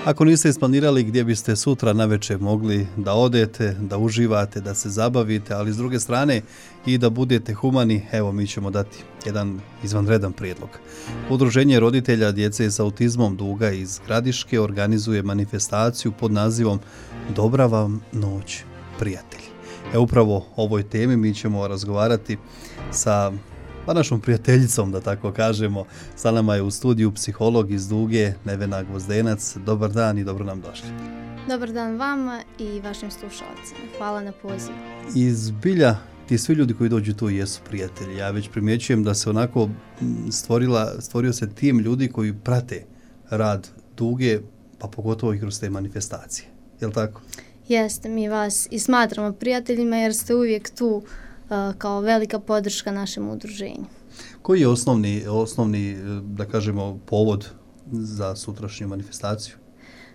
Ako niste isplanirali gdje biste sutra navečer mogli da odete, da uživate, da se zabavite, ali s druge strane i da budete humani, evo mi ćemo dati jedan izvanredan prijedlog. Udruženje roditelja djece s autizmom Duga iz Gradiške organizuje manifestaciju pod nazivom Dobra vam noć, prijatelji. Upravo o ovoj temi mi ćemo razgovarati sa našom prijateljicom, da tako kažemo. Sa nama je u studiju psiholog iz Duge, Nevena Gvozdenac. Dobar dan i dobro nam došli. Dobar dan vama i vašim slušalcima. Hvala na pozivu. Iz bilja, ti svi ljudi koji dođu tu jesu prijatelji. Ja već primjećujem da se onako stvorio se tim ljudi koji prate rad Duge, pa pogotovo i kroz te manifestacije. Je li tako? Jeste, mi vas i smatramo prijateljima jer ste uvijek tu kao velika podrška našem udruženju. Koji je osnovni, da kažemo, povod za sutrašnju manifestaciju?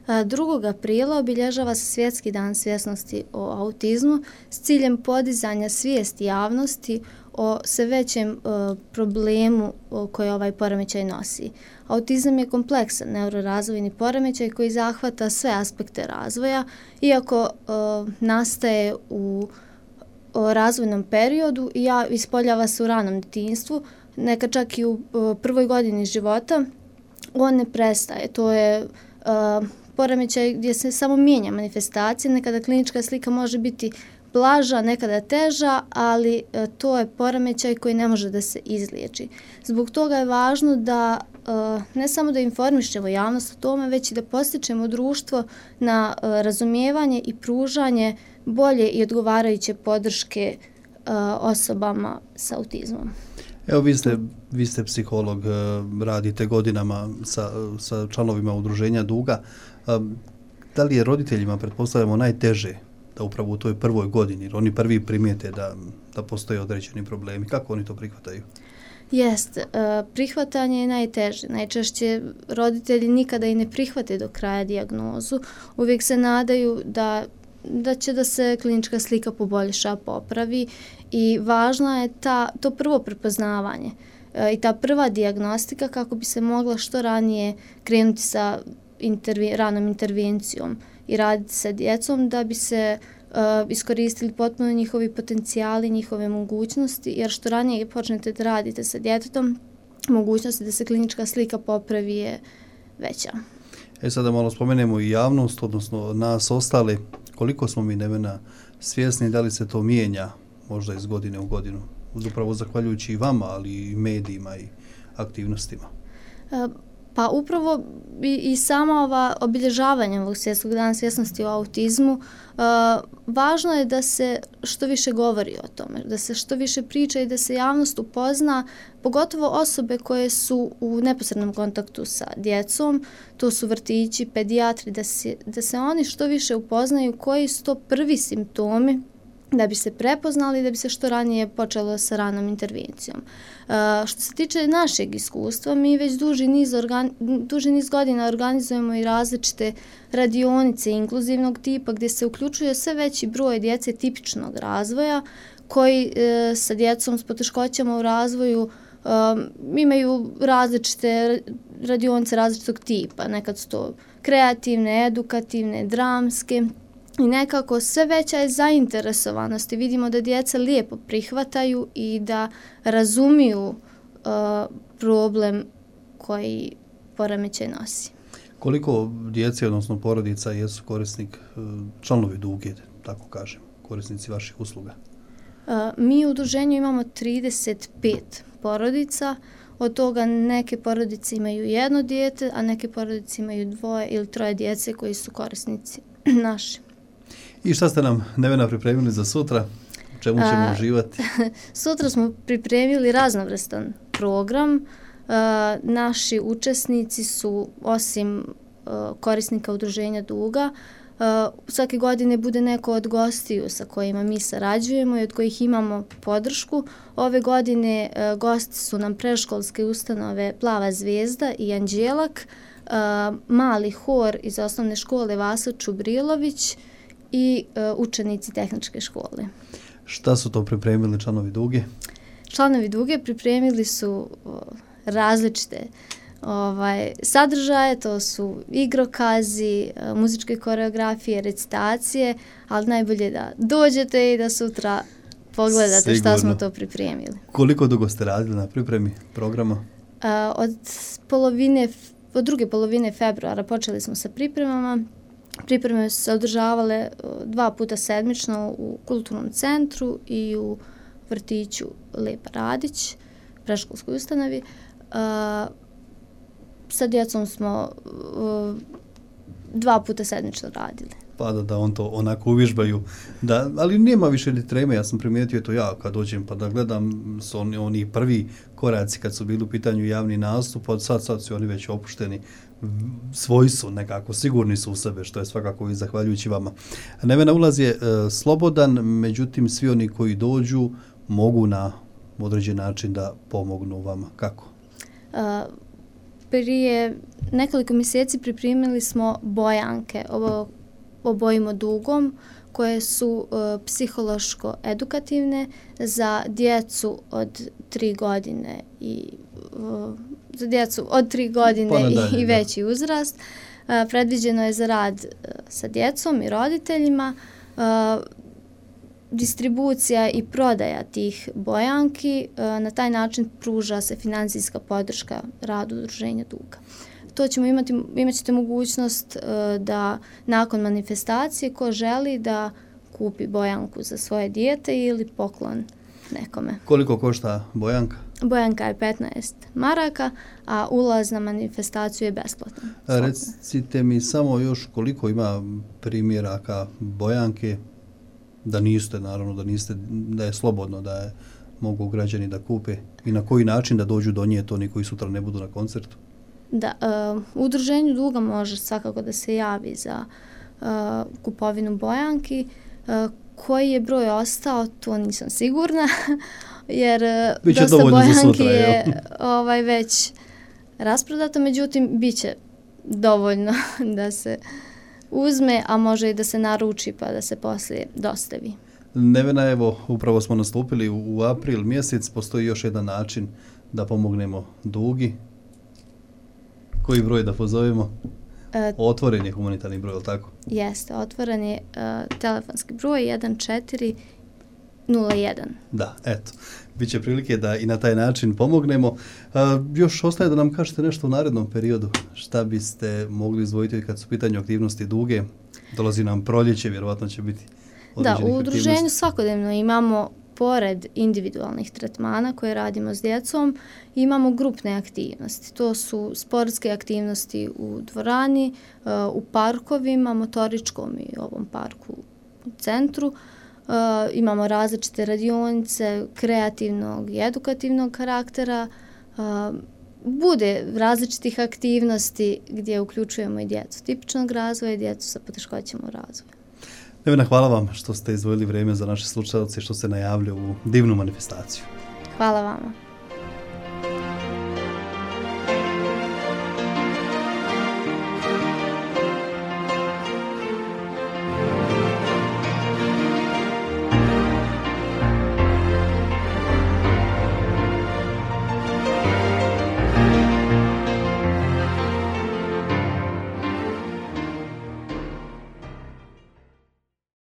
2. aprila obilježava se Svjetski dan svjesnosti o autizmu s ciljem podizanja svijesti javnosti o sve većem problemu koji ovaj poremećaj nosi. Autizam je kompleksan neurorazvojni poremećaj koji zahvata sve aspekte razvoja, iako nastaje u razvojnom periodu i ispoljava se u ranom djetinjstvu, nekad čak i u prvoj godini života, on ne prestaje. To je poremećaj gdje se samo mijenja manifestacija, nekada klinička slika može biti blaža, nekada teža, ali to je poremećaj koji ne može da se izliječi. Zbog toga je važno da ne samo da informišemo javnost o tome, već i da postičemo društvo na razumijevanje i pružanje bolje i odgovarajuće podrške osobama s autizmom. Evo vi ste psiholog, radite godinama sa članovima udruženja Duga. Da li je roditeljima, pretpostavljamo, najteže da upravo u toj prvoj godini, jer oni prvi primijete da postoje određeni problemi? Kako oni to prihvataju? Jeste, prihvatanje je najteže. Najčešće roditelji nikada i ne prihvate do kraja dijagnozu. Uvijek se nadaju da će da se klinička slika poboljša, popravi i važno je to prvo prepoznavanje i ta prva dijagnostika kako bi se mogla što ranije krenuti sa ranom intervencijom i raditi sa djecom da bi se iskoristili potpuno njihovi potencijali, njihove mogućnosti, jer što ranije počnete da radite sa djetetom, mogućnosti da se klinička slika popravi je veća. Sada malo spomenemo i javnost, odnosno nas ostale. Koliko smo mi, Nevena, svjesni da li se to mijenja možda iz godine u godinu? Upravo zahvaljujući i vama, ali i medijima i aktivnostima. Pa upravo i sama ova obilježavanja ovog Svjetskog dana svjesnosti o autizmu, važno je da se što više govori o tome, da se što više priča i da se javnost upozna, pogotovo osobe koje su u neposrednom kontaktu sa djecom, to su vrtići, pedijatri, da se oni što više upoznaju koji su to prvi simptomi da bi se prepoznali, da bi se što ranije počelo sa ranom intervencijom. Što se tiče našeg iskustva, mi već duži niz godina organizujemo i različite radionice inkluzivnog tipa gdje se uključuje sve veći broj djece tipičnog razvoja koji sa djecom s poteškoćama u razvoju imaju različite radionice različitog tipa. Nekad su to kreativne, edukativne, dramske. I nekako sve veća je zainteresovanost i vidimo da djeca lijepo prihvataju i da razumiju problem koji poremećaj nosi. Koliko djece, odnosno porodica, jesu korisnik, članovi Duge, tako kažem, korisnici vaših usluga? Mi u udruženju imamo 35 porodica, od toga neke porodice imaju 1 dijete, a neke porodice imaju 2 ili 3 djece koji su korisnici naši. I šta ste nam, Nevena, pripremili za sutra? U čemu ćemo uživati? Sutra smo pripremili raznovrstan program. Naši učesnici su, osim korisnika udruženja Duga, svake godine bude neko od gostiju sa kojima mi sarađujemo i od kojih imamo podršku. Ove godine gosti su nam predškolske ustanove Plava zvijezda i Anđelak, mali hor iz osnovne škole Vasa Čubrilović i učenici tehničke škole. Šta su to pripremili članovi Duge? Članovi Duge pripremili su različite sadržaje, to su igrokazi, muzičke koreografije, recitacije, ali najbolje da dođete i da sutra pogledate šta smo to pripremili. Koliko dugo ste radili na pripremi programa? Od druge polovine februara počeli smo sa pripremama. Pripreme su se održavale 2 puta sedmično u kulturnom centru i u vrtiću Lepa Radić, predškolskoj ustanovi. Sa djecom smo 2 puta sedmično radili. Pa da on to onako uvježbaju. Ali nema više ni treme, ja sam primijetio to ja kad dođem pa da gledam su oni prvi koraci kad su bili u pitanju javni nastup, od sad su oni već opušteni, svoji su nekako, sigurni su u sebe, što je svakako i zahvaljujući vama. Nevena, ulaz je slobodan, međutim svi oni koji dođu mogu na određen način da pomognu vama. Kako? Prije nekoliko mjeseci pripremili smo bojanke, obojimo dugom, koje su psihološko-edukativne za djecu od 3 godine i za djecu od 3 godine i veći uzrast. Predviđeno je za rad sa djecom i roditeljima. Distribucija i prodaja tih bojanki, na taj način pruža se financijska podrška radu Udruženja Duga. To ćemo imat ćete mogućnost da nakon manifestacije ko želi da kupi bojanku za svoje dijete ili poklon nekome. Koliko košta bojanka? Bojanka je 15 maraka, a ulaz na manifestaciju je besplatan. Recite mi samo još koliko ima primjeraka bojanke, da je slobodno, da je mogu građani da kupe i na koji način da dođu do nje, to oni koji sutra ne budu na koncertu? Da, u Udruženju Duga može svakako da se javi za kupovinu bojanki. Koji je broj ostao, to nisam sigurna, jer dosta bojanki je već rasprodato, međutim, bit će dovoljno da se uzme, a može i da se naruči pa da se poslije dostavi. Nevena, evo, upravo smo nastupili u april mjesec, postoji još jedan način da pomognemo Dugi. Koji broj da pozovemo? Otvoren je humanitarni broj, ali tako? Jeste, otvoren je telefonski broj 1401. Da, eto, bit će prilike da i na taj način pomognemo. Još ostaje da nam kažete nešto u narednom periodu. Šta biste mogli izdvojiti kad su pitanju aktivnosti Duge? Dolazi nam proljeće, vjerovatno će biti određenih aktivnosti. Da, u udruženju svakodnevno imamo, pored individualnih tretmana koje radimo s djecom, imamo grupne aktivnosti. To su sportske aktivnosti u dvorani, u parkovima, motoričkom i ovom parku u centru. Imamo različite radionice kreativnog i edukativnog karaktera. Bude različitih aktivnosti gdje uključujemo i djecu tipičnog razvoja i djecu sa poteškoćama u razvoju. Nevena, hvala vam što ste izdvojili vrijeme za naše slušalce i što ste najavili u divnu manifestaciju. Hvala vama.